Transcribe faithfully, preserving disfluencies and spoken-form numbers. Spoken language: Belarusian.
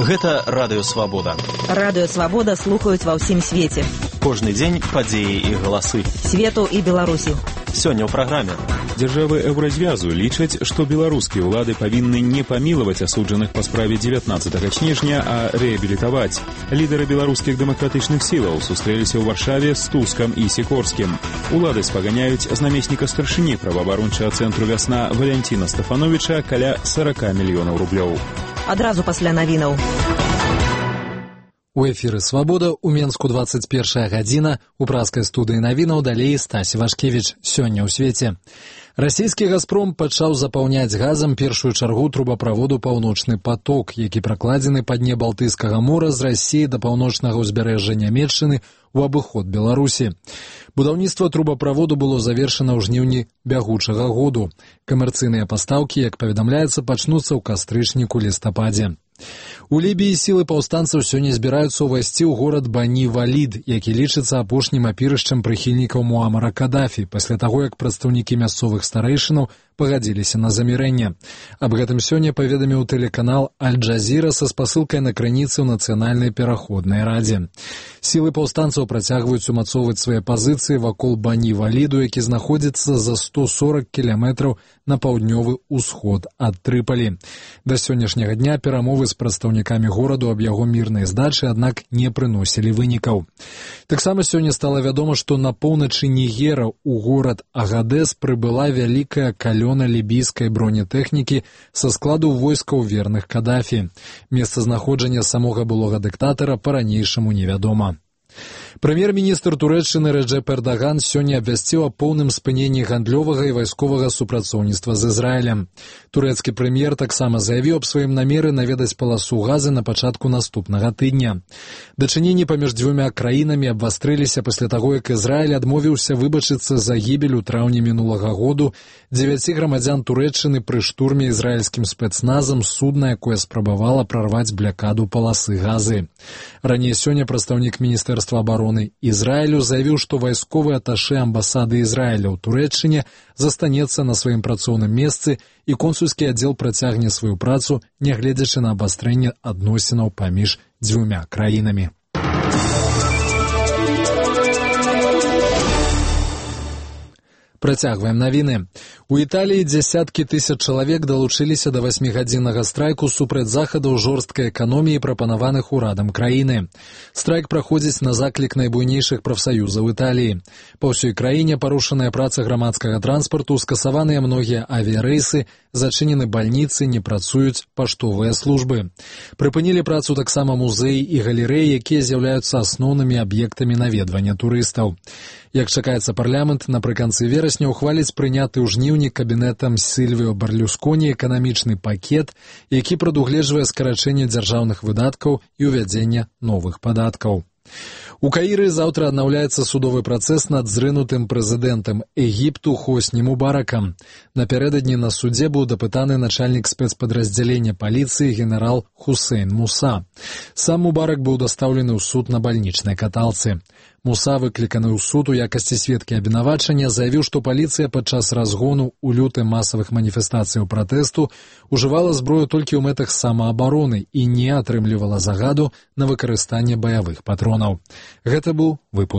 Гэта Радыё Свабода. Радыё Свабода слухаюць ва ўсім свеце. Кожны дзень падзеі і галасы. Свету і Беларусі. Сёння ў праграме. Дзяржавы Еўразвязу лічаць, што беларускія ўлады павінны не памілаваць асуджаных па справе дзевятнаццатага снежня, а рэабілітаваць. Лідары беларускіх дэмакратычных сілаў сустрэліся ў Варшаве з Тускам і Сікорскім. Улады спаганяюць з намесніка старшыні праваабарончага цэнтру «Вясна» Валянціна Стафановіча каля сорок мільёнаў рублёў. Адразу пасля навінаў. У эфіры «Свабода» у Менску двадцать першая гадзіна, у праскай студыі навінаў далей Стась Вашкевіч. Сёння ў свеце. Расійскі «Газпром» пачаў запаўняць газам першую чаргу трубаправоду «Паўночны поток», які пракладзены па дне Балтыйскага мора з Расіі да паўночнага ўзбярэжжа Нямецчыны у абыход Беларусі. Будаўніцтва трубаправоду было завершана ў жніўні бягучага году. Камерцыйныя пастаўкі, як паведамляецца, пачнуцца ў кастрычніку-лістападзе. У Лібіі сілы паўстанцаў сёння збіраюцца ўвайсці ў горад Бані-Валід, які лічыцца апошнім апірышчам прыхільнікаў Муамара Кадафі, пасля таго, як прадстаўнікі мясцовых старэйшынаў пагадзіліся на замірэнне. Аб гэтым сёння паведаміў тэлеканал Аль-Джазіра са спасылкай на крыніцы ў Нацыянальнай пераходнай радзе. Сілы паўстанцаў працягваюць умацоўваць свае пазіцыі вакол Бані-Валіду, які знаходзіцца за сто сорок кіламетраў на паўднёвы ўсход ад Трыпалі. Да сённяшняга дня перамовы з прадстаўнікамі гораду аб яго мірнай здачы, аднак не прыносілі вынікаў. Таксама сёння стала вядома, што на поўначы Нігера ў горад Агадэс прыбыла вялікая калёна лібійскай бронетэхнікі са складу войскаў верных Кадафі. Месцазнаходжанне самога былога дыктатара па-ранейшаму невядома. Прэм'ер-міністр Турэччыны Рэджэп Эрдаган сёння абвясціў о поўным спыненні гандлёвага і вайсковага супрацоўніцтва з Ізраілем. Турэцкі прэм'ер таксама заявіў аб сваім намеры наведаць паласу Газы на пачатку наступнага тыдня. Дачыненні паміж дзвюма краінамі абвастрыліся пасля таго, як Ізраіль адмовіўся выбачыцца за гібель у траўні мінулага году дзевяці грамадзян Турэччыны пры штурме ізраільскім спецназам судна, якое спрабавала прарваць блякаду паласы Газы. Раней сёння прадстаўнік міністэрства абароны Ізраілю заявіў, што вайсковы аташэ амбасады Ізраіля ў Турэччыне застанецца на сваім працоўным месцы і консульскі аддзел працягне сваю працу, нягледзячы на абастрэнне адносінаў паміж дзвюма краінамі. Працягваем навіны. У Італіі дзясяткі тысяч чалавек далучыліся да васьмігадзіннага страйку супраць захадаў жорсткай эканоміі, прапанаваных урадам краіны. Страйк праходзіць на заклік найбуйнейшых прафсаюзаў Італіі. Па ўсёй краіне парушаная праца грамадскага транспарту, скасаваныя многія авіярэйсы, зачынены бальніцы, не працуюць паштовыя службы. Прыпынілі працу таксама музеі і галерэі, якія з'яўляюцца асноўнымі аб'ектамі наведвання турыстаў. Як чакаецца, парламент напрыканцы верасня ухваліць прыняты ў жніўні кабінетам Сільвіо Берлюсконі эканамічны пакет, які прадугледжвае скарачэнне дзяржаўных выдаткаў і ўвядзенне новых падаткаў. У Каіры заўтра аднаўляецца судовы працэс над зрынутым прэзідэнтам Егіпту Хосні Мубаракам. Напярэдадні на судзе быў дапытаны начальнік спецпадраздзялення паліцыі генерал Хусейн Муса. Сам Мубарак быў дастаўлены ў суд на бальнічнай каталцы. Муса, выкліканы ў суд у якасці сведкі абвінавачання, заявіў, што паліцыя падчас разгону ў лютым масавых маніфестацыяў пратэсту ужывала зброю толькі ў мэтах самаабароны і не атрымлівала загаду на выкарыстанне баявых патронаў. Гэта быў выпуск.